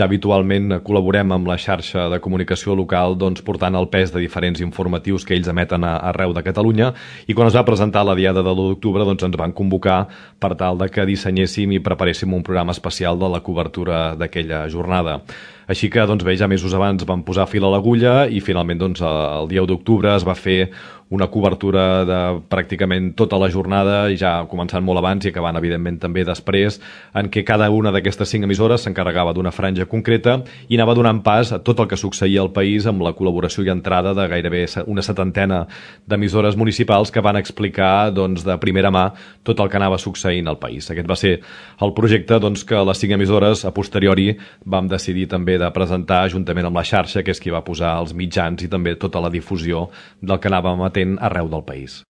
ja habitualment col·laborem amb la xarxa de comunicació local portant el pes de diferents informatius que ells emeten arreu de Catalunya, i quan es va presentar la diada de l'1 d'octubre ens van convocar per tal de que dissenyéssim i preparéssim un programa especial de la cobertura d'aquella jornada. Així que bé, ja mesos abans vam posar fil a l'agulla i finalment el dia 1 d'octubre es va fer una cobertura de pràcticament tota la jornada, ja començant molt abans i acabant evidentment també després, en què cada una d'aquestes 5 emissores s'encarregava d'una franja concreta i anava donant pas a tot el que succeïa al país amb la col·laboració i entrada de gairebé una 70ena d'emissores municipals que van explicar de primera mà tot el que anava succeint al país. Aquest va ser el projecte que les 5 emissores a posteriori vam decidir també de presentar juntament amb la xarxa, que és qui va posar els mitjans i també tota la difusió del que anàvem emetent arreu del país.